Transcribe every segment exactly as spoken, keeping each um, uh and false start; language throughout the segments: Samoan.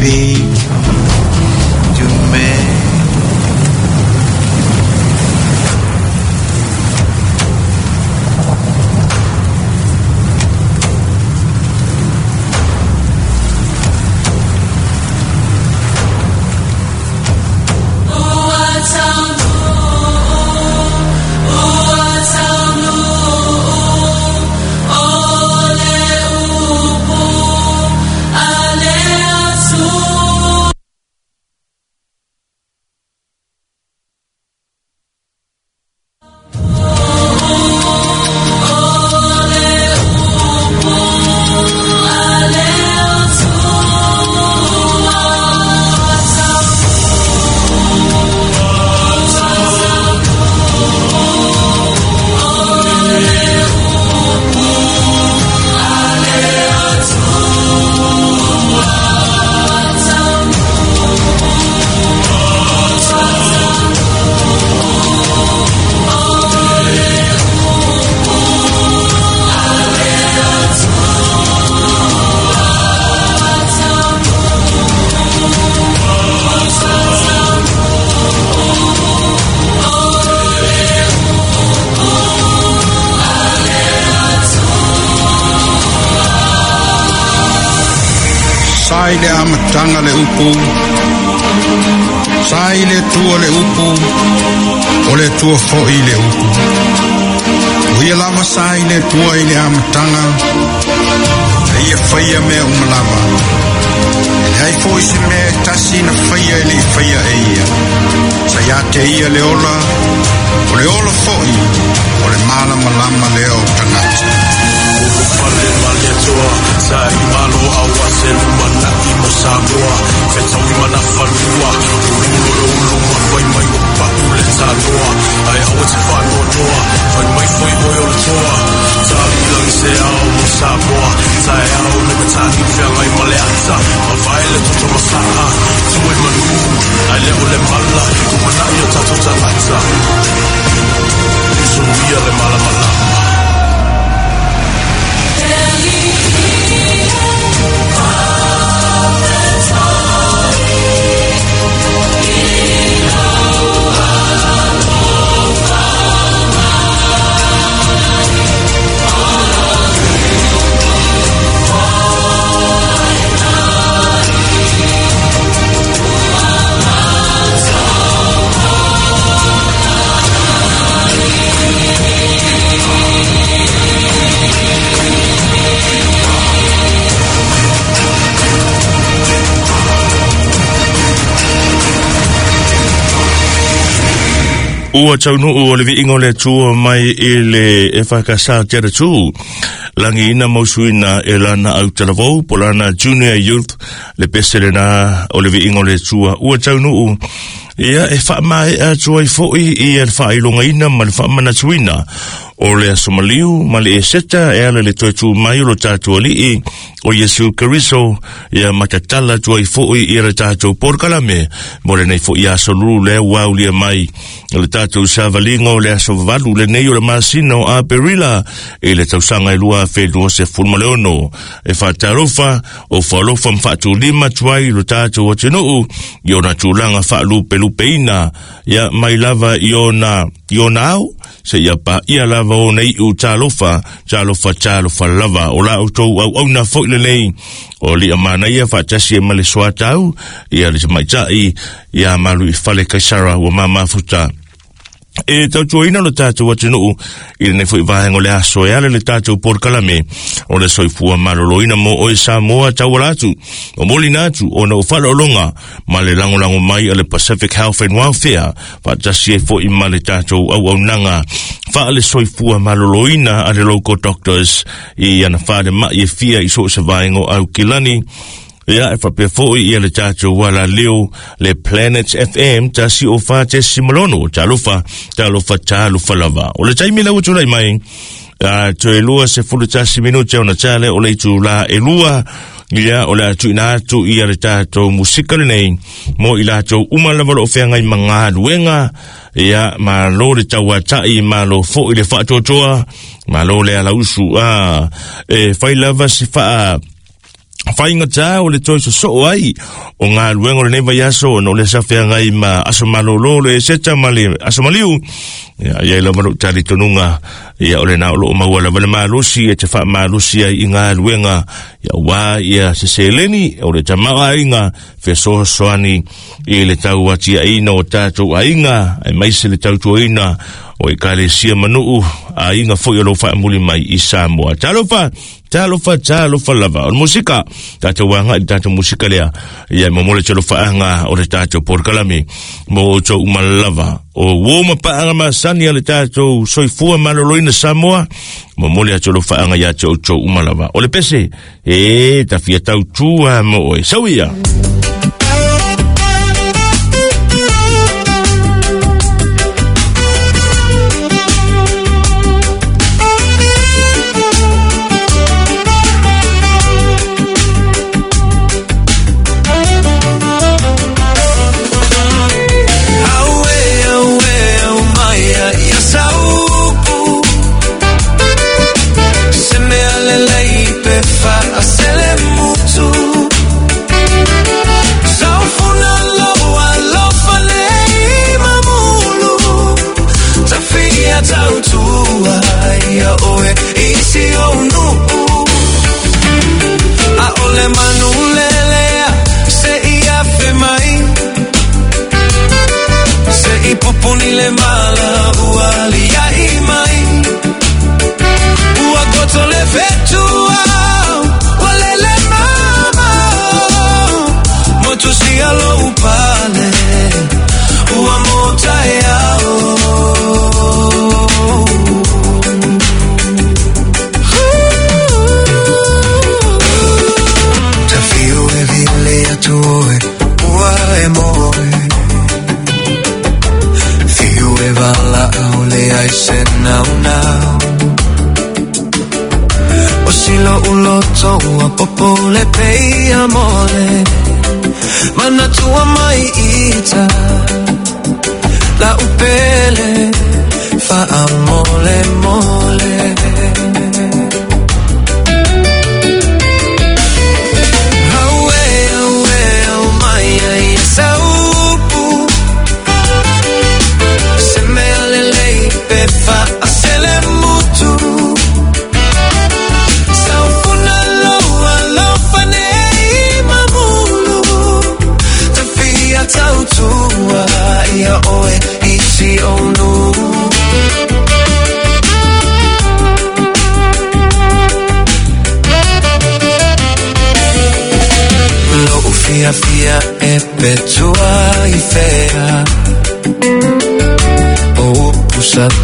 Speak to me. Sai le amataga le upu, sai le tua le upu, o le tua fo'i le upu. O ia lava sai le tua i le amataga, e ia faia mea uma lava. E leai fo'i se mea e tasi na faia e le'i faia e ia. Sa ia te ia le ola, o le ola fo'i, o le malamalama lea o tagata. Pale maliatoa, sa i malo aua se lumana'i mo Samoa. Fetaui mana fanua, ululo lo uluma fai mai o pa'u le tanoa. Ai aua te whanoanoa, fai mai foi oi o le toa. Tali langi se ao mo Samoa, tae ao le matani whiangai ma le ata. Mavae le toto masa'a, tue manu, ai le o le mala, lumana'i o tatou tagata. Suia le malamalama. Ua taunuu o le viiga o le Atua mai i le e whakasā te atu. Langi ina mausuina e lana au talavou, po lana Junior Youth, le pese lena o le viiga o le Atua. Ua taunuu, ia e whaamae atua i fo'i i e whailongaina ma le whaamanatuina. O le asomaliu ma le eseta e ala le toe tū mai o lo tātou ali'i o Iesu Keriso ia matatala tua i fo'i i le tātou porokalame mo lenei fo'i aso lulu lea ua aulia mai le tātou savaliga o le aso valu lenei o le masina o Aperila i le tausaga e lua afe lua sefulu ma le ono e faatalofa o faalofa ma faatulima atu ai lo tātou atunuu i ona tulaga faalupelupeina ia mai lava i ona i ona ao se ia pa ia lava o nei u talofa talofa talofa lava o la outou auauna fo'i lenei o lia manaia faatasi e ma le soatau ia le tamaita'i ia malu i fale Kaisara ua mamafuta e tautuaina lo tātou atunuu i lenei fo'i vaega o le aso e ala le tātou porokalame o le soifua maloloina mo oe Samoa tauala atu o molina atu ona o faaaloaloga ma le lagolago mai a le Pacific Health and Welfare faatasi ai fo'i ma le tātou auaunaga faale soifua maloloina a le local doctors i ana falemai e fia i so o se vaega o Aukilani. Ia e whapea fo'i ia le tātou wala leo le Planet F M tasi o wha te simalono talofa talofa talofa lava. O le taimi lau tulai mai a toe lua se fulu tasi minute ona tale o le itu la e lua ia o le atu ina atu ia le tātou musika lenei mo i latou uma lava lo o feagai ma galuega ia malo le tauata'i malo fo'i le faatoatoa malo le alausu a e fai lava se faa Faigata o le toe sosoo ai o galuega o lenei vaiaso ona o le sa feagai ma aso malōlō le seta ma le aso maliu. Ia iai lava lou talitonuga, ia o lena o loo maua lava le malosi e te faamalosi ai i galuega, ia uā ia se seleni o le tamaoaiga fesoasoani i le tauatiaina o tatou aiga, aemaise le tautuaina o ekalesia manuu aiga foi o lou faamuli mai i Samoa. Talofa, talofa, talofa lava. O le musika, tatou agai i le tatou musika lea, ia mo le talofaanga o le tatou polokalame mo outou uma lava. O uo ma paaga masani a le tatou soifua maloloina Samoa, momoli atu alofaanga ia te outou uma lava. O le pese, e tafia tautua mo oe. Sau ia!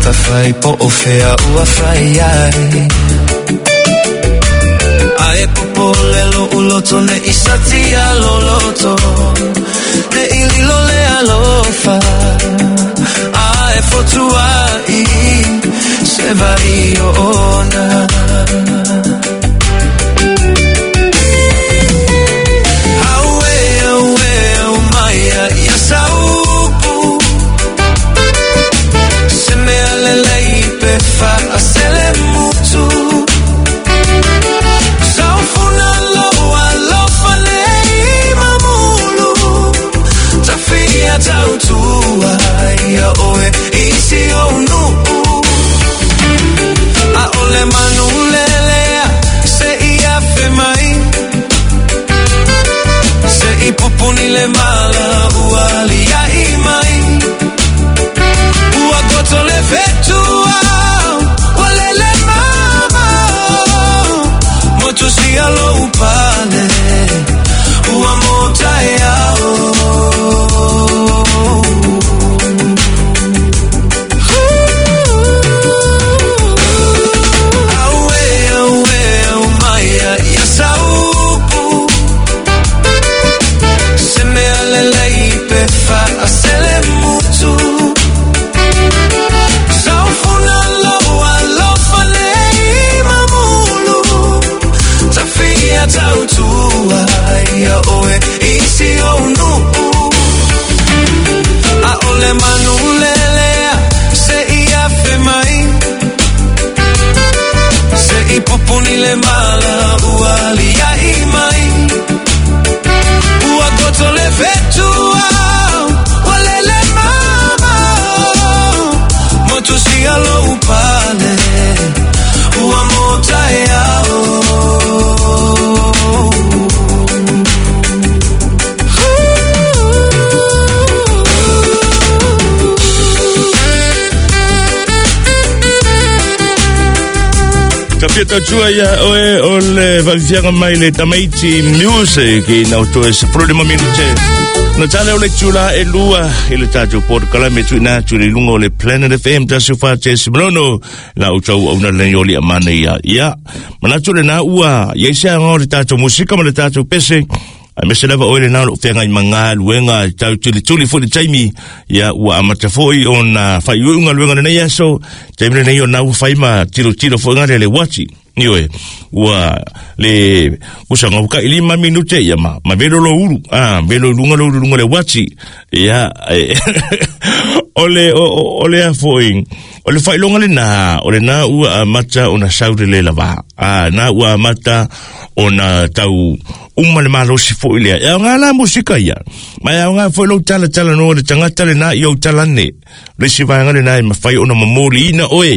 Tafai po o fea ua fai ai Ae popole lo uloto ne isati a loloto Ne ililo le alofa Ae fotua i se vai o ona Aue, aue, au maia ia saupu Se mea lelei pe faasele mutu Saufuna loa alofa nei mamulu Tafia tautua ia oe isi o nuu Aole manu lelea se ia fe mai Se i pupuni le mala ua liai mai Ua goto le fetua ua lele mama Motu si alo upale ua mota e ao Aue, aue, au maia ia saupu Se mea lelei pe faasele mutu Saufuna loa alofa nei mamulu Tafia tautua ia oe isi o nuu Aole manu lelea se ia fe mai Se i pupuni le mala ua liai mai Moto le fetua walele mama moto sia lo upale ua mota e ao. Ka fia tautua ia oe o le vavifiaga mai le tamaiti music i nau toe se fulu lima minute. Na tale o le tula e lua i le tātou porokalame tuina atu le lunga o le Planet F M tasi fa te simalono la o tau auna le oli amana ia. Ia, manatu le nā ua, ia isi anga o le tātou musika ma le tātou pese. Ai mese lava oe le nā lo whenga i manga luenga tau tuli tuli fo le taimi. Ia ua amata foi o na whai uunga luenga le nei aso. Taimi le nei o nā ua whaima tilo tilo fo ngare le wati. Ioe, ua le usa ngau ka ilima minute ia ma, ma velo lo uru, ah, velo lunga lo uru lunga le wati. Ia, ole, ole a foi, ole whailonga le nā, ole nā ua amata o na saure le lava. Ah, nā ua amata o na tau uma le malosi foi lea. E ngā la musika ia. Ma e ngā foi lau tala tala no le tangata le nā i au talane. Le si vaenga le nā e mawhai ona mamoli ina oe.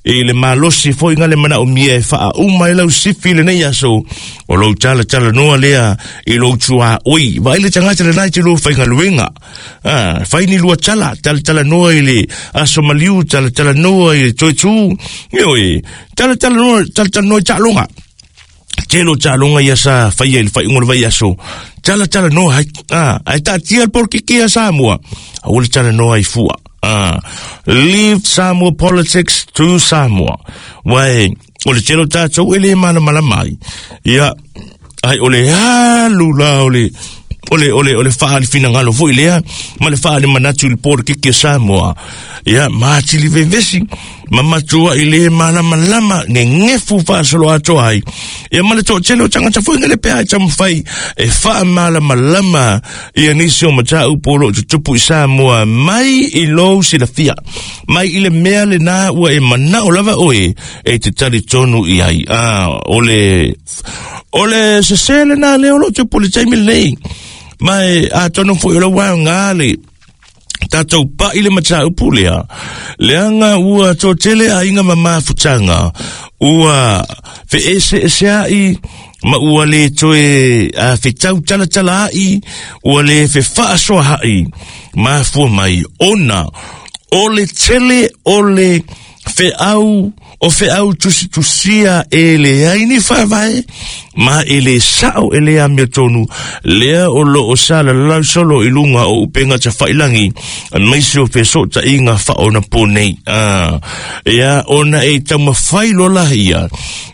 E le malosi foi ngā le mana o mia e whaa uma e lau sifi le nei aso. O lau tala tala noa lea i lau tua oi. Vai le tangata le nā i te lua whainga luenga. Ah, whai ni lua tala, tala tala noa i le aso maliu, tala tala noa i le toitu. Ioe, tala tala noa, tala tala noa i taalonga. Telo taalonga ia sa whaia i le whai ungo le vai aso. Tala tala noa hai, ah, ai tā tia le porkiki a Samoa. Aua le tala noa i fua. Ah, leave Samoa politics to Samoa. Wai, o le telo tātou e le mana mana mai. Ia, ai o le halu la o le, ole ole ole whaali whinangalo foi lea, ma le whaali manatu i le porkiki a Samoa. Ia, maatili vevesi, ma matua i le malamalama, ngefu whaasolo atoa ai. Ia, ma le tō tele o tangata foi ngale pea e tamawhai, e wha malamalama, ia nisi o mataa upolo o tutupu i Samoa, mai i lou silafia, mai i le mea le nā ua e manao lava oe, e te tali tonu i ai. Ah, ole, ole sese le nā leo lo tupu le taimi lei. Mai a tono foi o lau wao ngā le tātou pa i le mataa upu lea. Leanga ua tō tele a inga mamafutanga. Ua fe ese ese ai, ma ua le toe a fe tau tala tala ai, ua le fe whaasoa hai. Mafua mai ona, o le tele o le fe au, o fe au tusi tusia e le aini whawai, ma e le sao e le amia tonu, lea o lo o sa la lau solo i lunga o upenga ta whailangi, maisi o feso ta inga whaona pōnei. Ah, ia ona e tamawhai lola ia,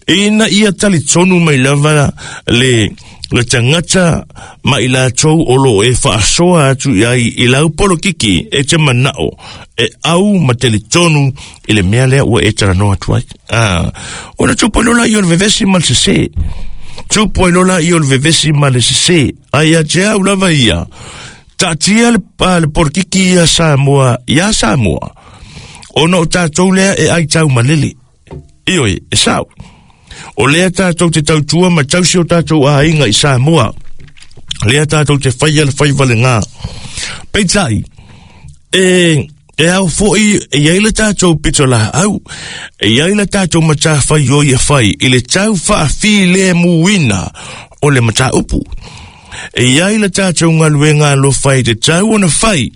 ina ia tali tonu mai lava le, le tangata ma i lātou o lo e whaasoa atu i ai i lau polokiki e te manao e au ma te tonu i le mea lea ua e talanoa atu ai. Ah, ona tupu lola i o le vevesi ma le sese. Tupu lola i o le vevesi ma le sese. Ai a te au lava ia. Tatia le, pa, le polokiki ia Samoa, ia Samoa. Ona o tātou lea e ai tau malele. Ioi, e sao. O lea tātou te tautua ma tausi o tātou a inga i Samoa. Lea tātou te whaia le whaiwale ngā. Peitai, e, e au foi, e iai le tātou pito la au, e iai le tātou matawhai o ia whai, i le tau whaawhi le muina o le mataupu. E iai le tātou ngaluenga lo whai te tau ona whai,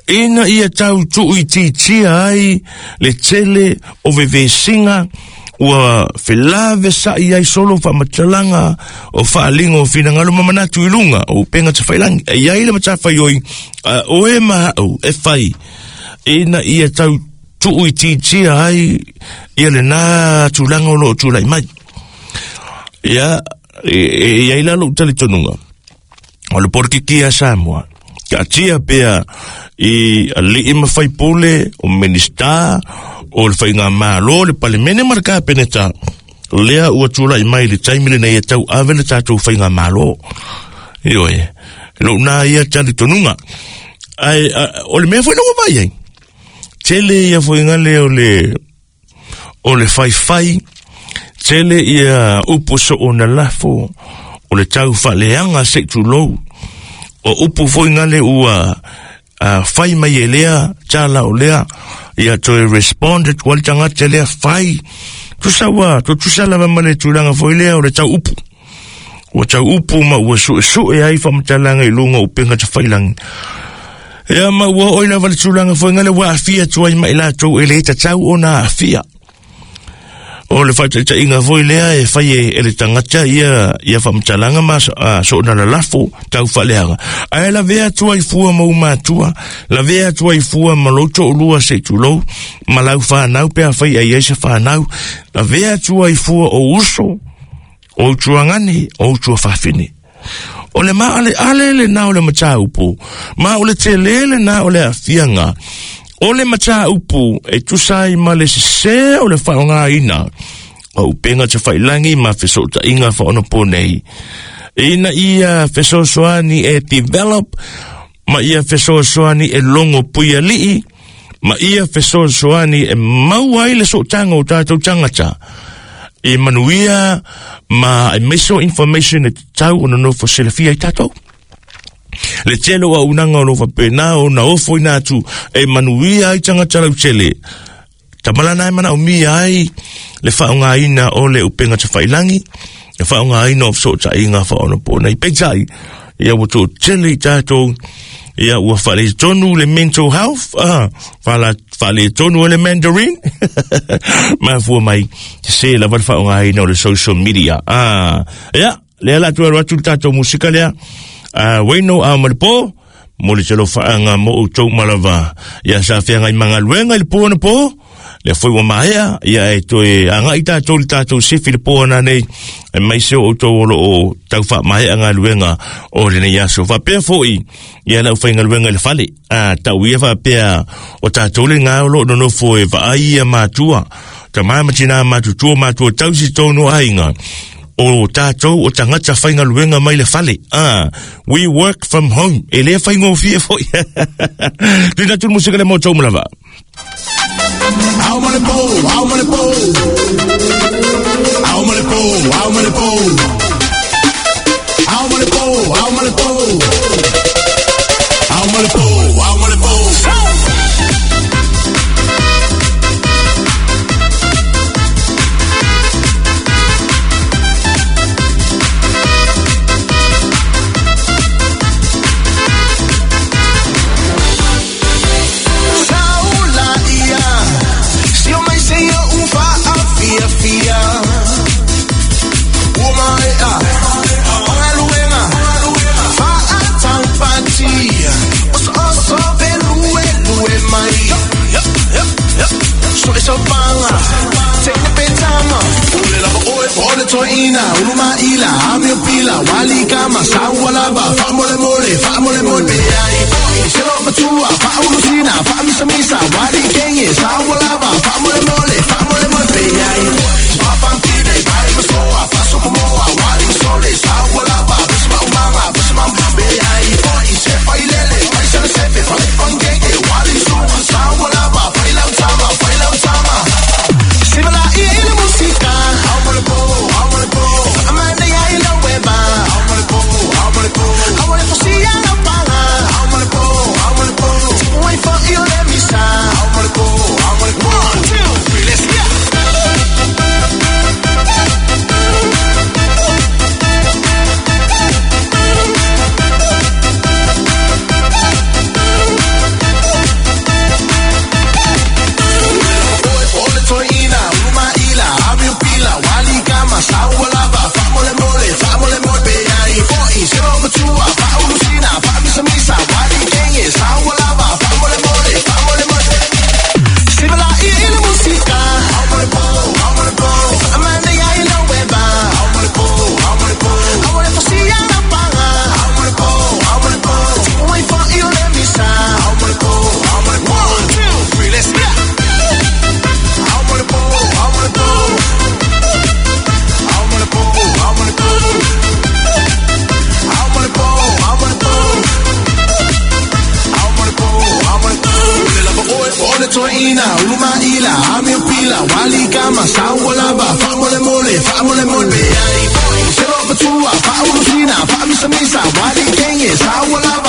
ina ia tau tui titia ai le tele o vevesinga, ua felave sa i ai solo wha matalanga o whaalinga o whinangalo mamanatu i lunga o penga te whailangi. E iai le matawhai oi, o e maha au, e whai, ina ia tau tuu i titia ai, ia le nā tūlanga o lo o tūlai mai. Ia, e, e, e ai lalo utali tonunga. O le porkiki a Samoa. Ka tia pea i a lii mawhai pule, o minista, o le whainga malo, le palemene ma le kapeneta. Lea ua tūlai mai le taimi le nei e tau ave le tātou whainga malo. Ioe, lo nā ia tali tonunga. Ai, a, o le mea foi longo vai ai. Tele ia foi ngale o le, o le whai whai, tele ia upo so o na lafo, o le tau whaleanga se tūlou. O upu foi ngale ua uh, fai mai e lea, tala o lea, ia toe respond atu ai le tagata lea fai. Tusa ua, tutusa lava ma le tulaga foi lea o le tau upu. Ua tau upu ma ua suesue ai faamatalaga i luga o upega tafailagi. Ia ma ua oo i lava le tulaga foi ngale ua aafia atu ai ma i latou e lē tatau ona aafia. O le faataitaiga foi lea e fai e le tagata ia ia faamatalaga ma soona lalafo tau faaleaga. Ae lavea atu ai fua ma umatua, lavea atu ai fua ma lou toolua se i tulou, ma lau fanau pe afai ai ai se fanau, lavea atu ai fua o uso, o utuagane, o utuafafine. O le maaleale lenā o le mataupu, ma o le telē lenā o le aafiaga o le mataupu e tusa ai ma le sesē o le faaaogāina o upega tafailagi ma fesootaiga faaonaponei ina ia fesoasoani e develop ma ia fesoasoani e logo puialii ma ia fesoasoani e maua ai le sootaga o tatou tagata e manuia ma e maiso information e tatau ona nofo silafia ai tatou. Le tele o auaunaga o lo faapena ona ofoina atu e manuia ai tagata lautele. Tamalana e manaomia ai le faaaogāina o le upega tafailagi, le faaaogāina o fesootaiga faaonaponei. Peitai, ia ua toatele i tatou, ia ua faaletonu le mental health, ah, faaletonu o le Mandarin, mafua mai sesē lava le faaaogāina o le social media. Ah, ia, lea la atu alu atu le tatou musika lea. Uh, Waino a ma le po, mo le talofaaga mo outou malava. Ia sa feagai magaluega i le po ona po, lea foi ua maea, ia e toe agai tatou le tatou sifi le po ana nei, e mai se o outou o loo tau faamaea galuega o lenei aso. Faapea foi, ia lau faigaluega i le fale. A, tau ia faapea o tatou le gā o loo nonofo e vaai ia matua, tamā ma tinā matutua matua tausi tonu aiga. O tātou o tagata faigaluega mai le fale. Ah, we work from home. E le faigofie foi. Tuina atu le musika le mo tou malava. Au ma le po, au ma le po. Au ma le po, au ma le po. Au ma le po, au ma le po. Au ma le po, au ma le po. Saula ia, si o mai se ia ufa a fia fia. Ua mai a, o galuega, fa a taupati. Oso oso pe lue lue mai. So e so panga, te ne petama. Ule lava oe po le toina, ulu maila, ame o pila, wali kama, saua lava, fa mole mole, fa mole mole. Ai, se lo matua, fa ulusina, fa misa misa, wali kenye, saua lava, fa mole mole, fa mole mole. Ai, fa pantine, pai masoa, fa sokomoa, wali sole, saua lava, bisma umama, bisma be ai, se fa ilele, fa sele sefe, fa le pangenge, wali suma, saua lava, fa ilau tama, fa ilau tama. Sibala ia i le musika, au ma le po, au ma le po. Amanda ia i le weba, au ma le po, au ma le po. Au le fosia la panga, au ma le po, au ma le po. Wait for you le misa, au ma le po, au ma le po. One, two, three, let's go. Ole toina, ulu maila, ame pila, wali kama, saua lava, fa mole mole, fa mole mole, ai, foi, se lo matua, fa ulusina, fa misa misa, wali kenye, saua lava, fa mole mole, fa mole mole. Sibala ia i le musika, au ma le po, au ma le po. Amanda ia i le weba, au ma le po, au ma le po. Au le fosia la panga, au ma le po, au ma le po. Wait for you le misa, au ma le po, au ma le po. One, two, three, let's go. Au ma le po, au ma le po. Au ma le po, au ma le po. Au ma le po, au ma le po. Au ma le po, au ma le po. Ule lava oe po le toina, ulu maila, ame o pila, wali kama, saua lava, fa mole mole, fa mole mole. Ai, se lo matua, fa ulusina, fa misa misa, wali kenye, saua lava,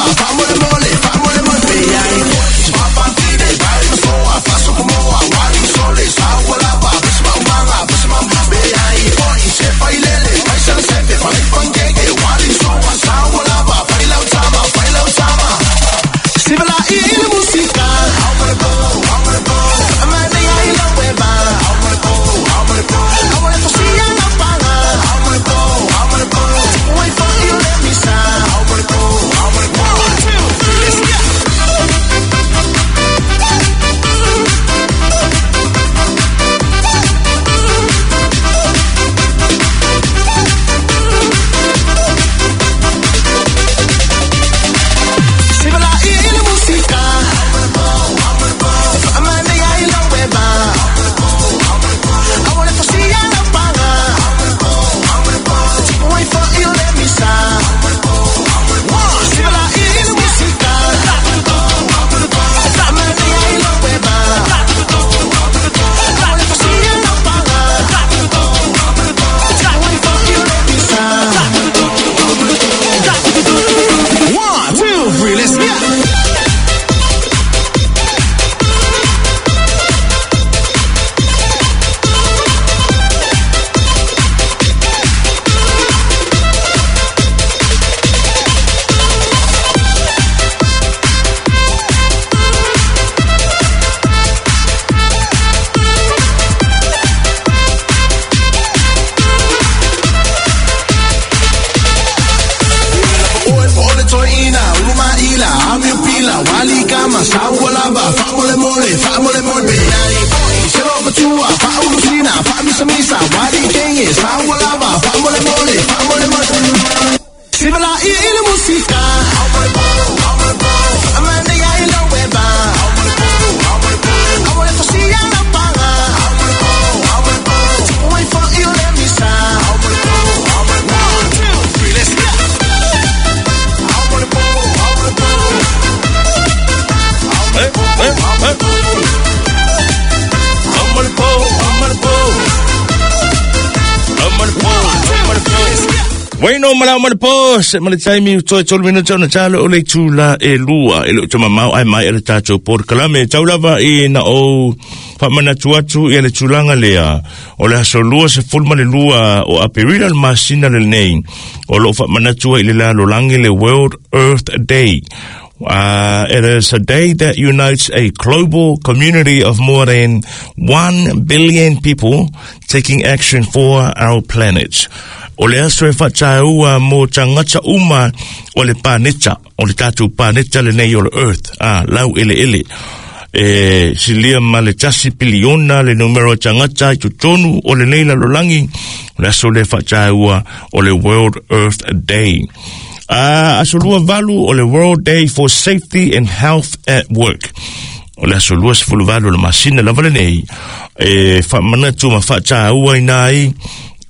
ina, uluma ila, ami pila, wali kama, sawa lava, fa mole mole, fa mole mole, nani boy, selo matua, fa ulusina, fa misa misa, wali kenge, sawa lava, fa mole mole, fa mole mole. Sibala i ile musika, amanda ya ilo weba, awale fosia na panga, wai fa ile misa. One, two, three, let's go. Eh, eh, eh. Amalipo, amalipo. Amalipo, amalipo. Bueno, mala malipo, se mali taimi u toi tolu minuta ona talo o le tula e lua. E leo tama mau ai mai ele tātou por kalame. Taulava i na o whamanatu atu i ele tulaga lea. O le aso lua se fulma le lua o Aperila le masina le nei. O lo whamanatu i le lalo langi le World Earth Day. Uh, it is a day that unites a global community of more than one billion people taking action for our planet. O le aso e whataua mō tangata uma o le paneta, o le tātou paneta le nei o le Earth, ah, lau ele ele. E silia ma le tasi piliona le numero tangata i totonu o le nei lalolangi, o le aso le whataua o le World Earth Day. Ah, aso lua valu o le World Day for Safety and Health at Work. O le aso lua sefulu valu o le masina lava le nei. E whamanatu ma whataua ina ai,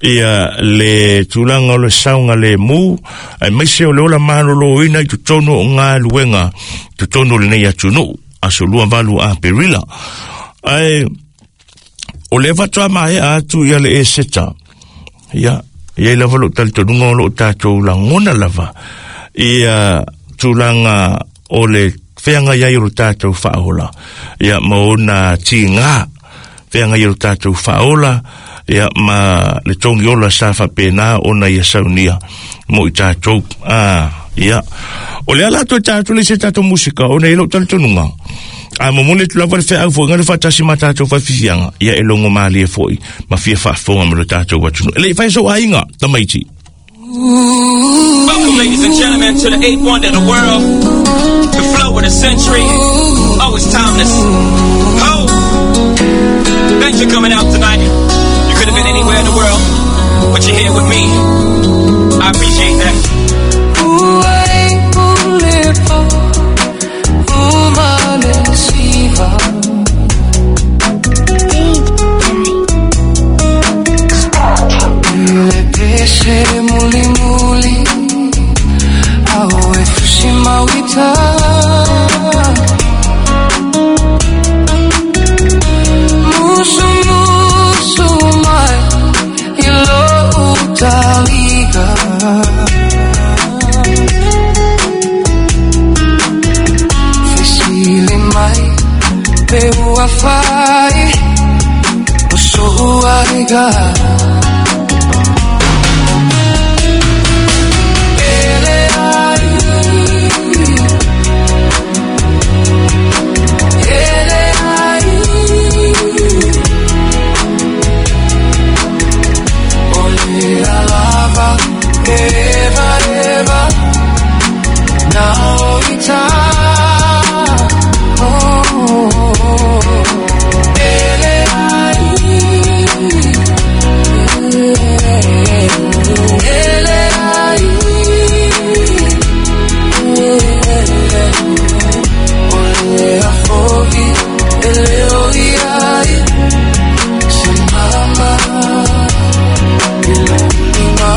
ia le tulaga o le saoga lemu aemaise o le ola malōlōina i totonu o galuega totonu o lenei atunuu aso lua valu Aperila. Ae o le faatoa maea atu ia le Eseta, ia iai lava lou talitonuga o loo tatou lagona lava ia tulaga o le feagai ai o lo tatou faaola, ia ma ona tigā feagai ai o lo tatou faaola, ia ma le tongi ola sa faapena ona ia saunia mo i tatou. Ah, ia o le ala atu e tatou le se tatou musika ona i lou talitonuga a momoli atu lava le feau foʻiga le faatasi ma tatou fafifiaga ia e logo malie foʻi ma fia faafofoga ma lo tatou atunuu e leʻi fai sou aiga tamaiti. Welcome, ladies and gentlemen, to the eighth wonder of the world, the flow of the century. Oh, it's timeless. Oh, thanks for coming out tonight. You could have been anywhere in the world, but you're here with me. I appreciate that. Muli muli awe fushimawita musu musu mai ilo utaliga fesili mai pe uafai oso uaiga. Eva, Eva, now it's time. Oh, ele ai, ele ai, ole a fogi, ele oi ai, se mama, ele ima.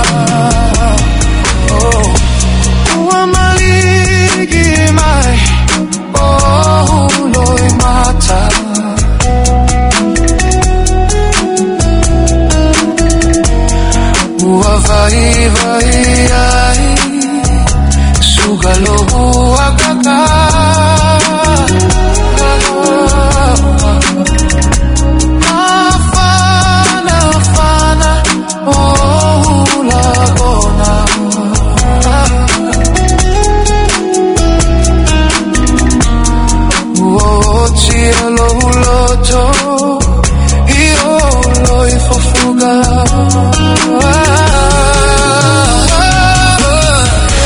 Vai, vai, ai, sugalo agaka. Afana, afana, oh, la bona. Oh, cielo, loto, io lo ifofuga.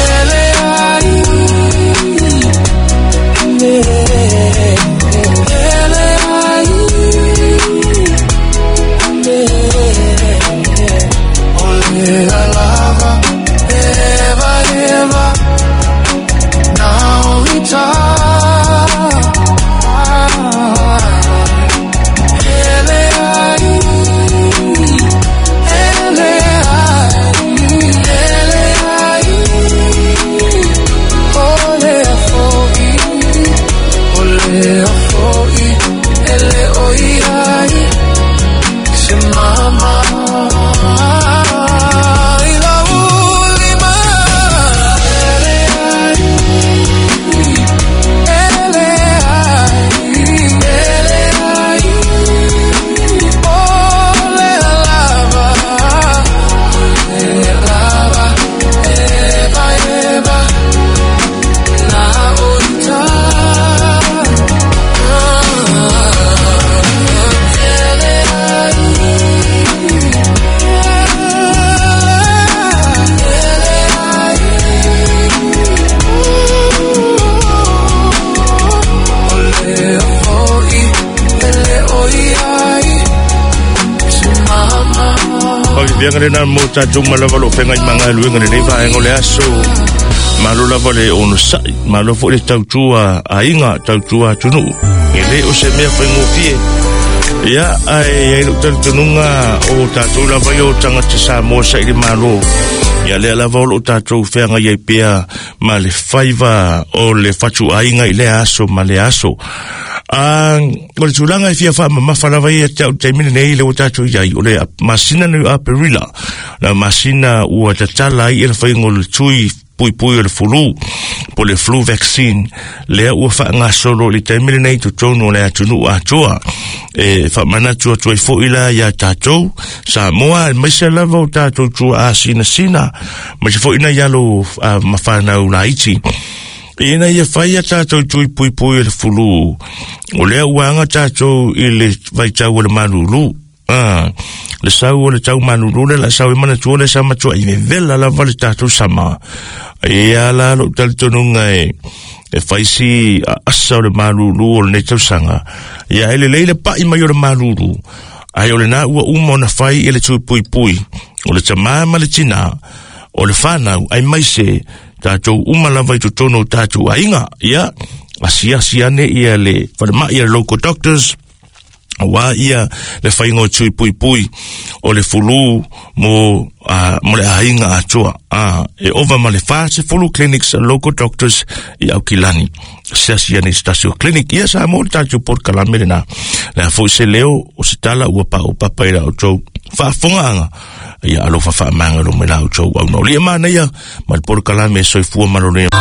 Ele ai. Fiafiaga lena mo tatou malava lo fenga i magaluega lenei vaega o le aso. Malo lava le onosai, malo foi le tautua aiga, tautua atunuu. E le o se mea faigofie. Ia, ae ai lou talitonuga o tatou lava ia o tagata Samoa sa i le malo. Ia lea lava o loo tatou feagai ai pea ma le faiva o le fatuaiga i lea aso ma lea aso. Ah, o le tulaga e fia faamamafa lava ia te au taimi lenei le ua tatou iai, o le masina nei o Aperila, la masina ua tatala ai e le faiga o le tui puipui o le fulu, po le flu vaccine, lea ua faagasolo i le taimi lenei i totonu o le atunuu atoa. E faamanatu atu ai foi la iā tatou Samoa, aemaise lava o tatou tuaa sinasina, aemaise foi nai alo ma fanau laiti, ina ia fai a tatou tui puipui o le fulu, o lea ua aga tatou i le vaitau o le malulu. Ah, le sau o le tau malulu le la sau e manatua le sa matua i vevela lava le tatou sama. Ia la lou talitonuga e e fai si asa o le malulu o lenei tausaga. Ia e lelei le pa'i mai o le malulu, ae o lena ua uma ona fai i le tui puipui o le tamā ma le tinā o le fanau, aemaise tatou uma lava i totonu o tatou aiga. Ia asiasi ane ia le falemai a le local doctors, aua ia le faiga o tui puipui o le fulu mo uh, mo le aiga atoa. Uh, e ova ma le fasefulu clinics a local doctors i Aukilani. Asiasi ane i se tasi o clinic. Ia sa mo le tatou polokalame lena. Le a foi se leo o se tala ua pa'u papa i la outou faafogaaga. Ia alofa faamagalo mai la outou au na o lia manaia ma le polokalame soifua maloloina.